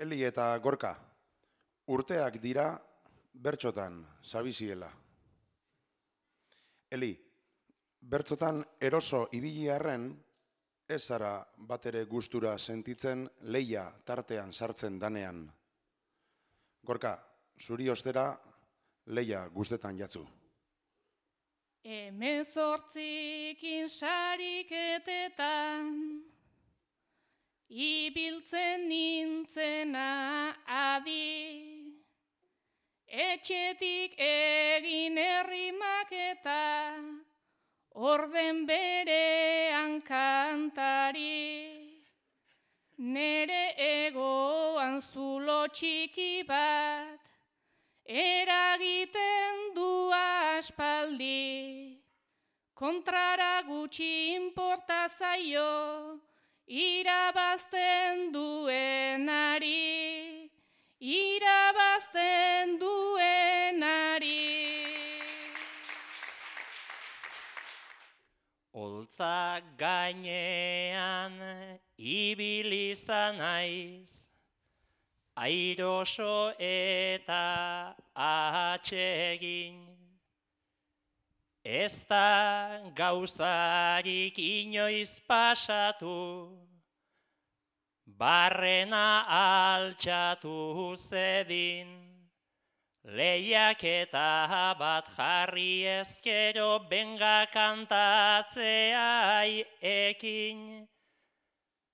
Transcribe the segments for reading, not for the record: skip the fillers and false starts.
Eli eta Gorka, urteak dira bertsotan sabiziela. Eli, bertsotan eroso ibili arren, ez zara batere gustura sentitzen lehia tartean sartzen danean. Gorka, zuri ostera lehia guztetan jatzu. Hemezortzikin sariketetan, ibiltzen nintzena adi, etxetik egin errimak eta orden berean kantari. Nere egoan zulo txiki bat, eragiten du aspaldi, kontrara gutxi inporta zaio, irabazten duenari, irabazten duenari. Holtza gainean ibili izan naiz, airoso eta atsegin. Ez da gauzarik inoiz pasatu, barrena altxatu zedin. Lehiaketa bat jarri ezkero benga kantatzeai ekin.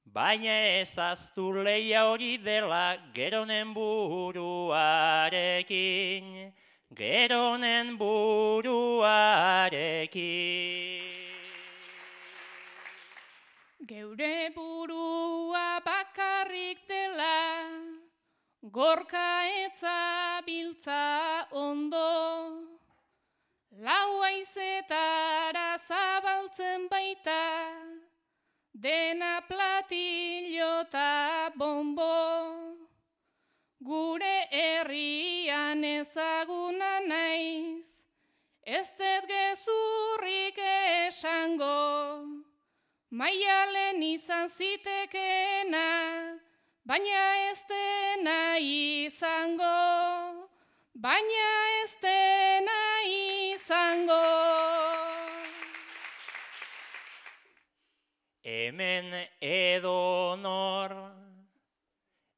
Baina ezaztu lehia hori dela geronen buruarekin, geronen buruarekin. Geure burua bakarrik dela, Gorka etza biltza ondo, lau haizetara zabaltzen baita, dena platillo eta bombo. Gure herrian ezaguna naiz, ez dut gezurrik esango, Maialen izan zitekeena, baina ez dena izango, baina ez dena izango. Hemen edonor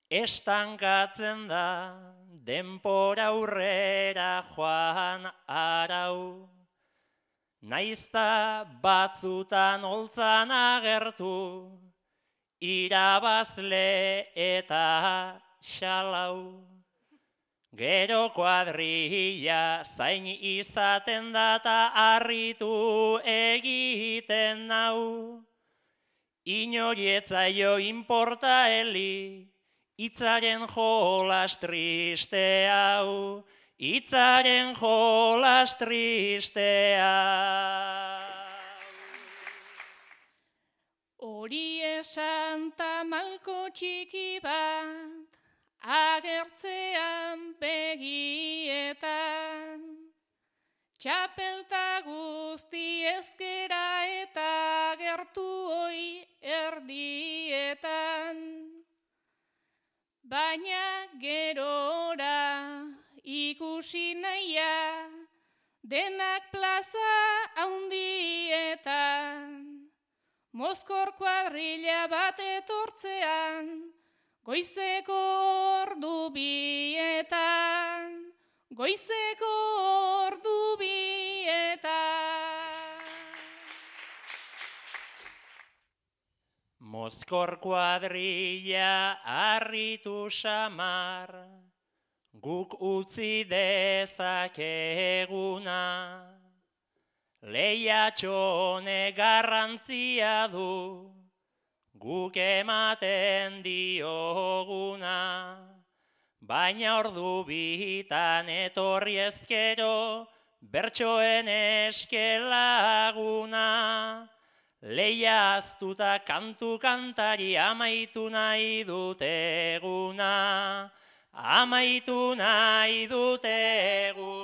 estankatzen da, denpora aurrera joan arau. Naizta batzutan holtzan agertu, irabazle eta xalau. Gero kuadrilla zain izaten da eta harritu egiten nau. Inoietzaio inporta heli, hitzaren jolas triste hau, hitzaren jolas triste hau. Hori esan ta malko txiki bat, agertzean begietan, txapelta guzti ezkera eta gertu hoi erdietan. Baina gerora ikusi nahia, denak plaza haundietan, Mozkor kuadrilla bat etortzean, goizeko ordu bietan, goizeko ordu bietan. Mozkor kuadrilla harritu samar, guk utzi dezakeguna. Lehiatxone garrantzia du, guk ematen dioguna. Baina ordu bitan etorri ezkero, bertsoen eskelaguna. Lehia aztuta kantu kantari amaitu nahi dut eguna, amaitu nahi dut eguna.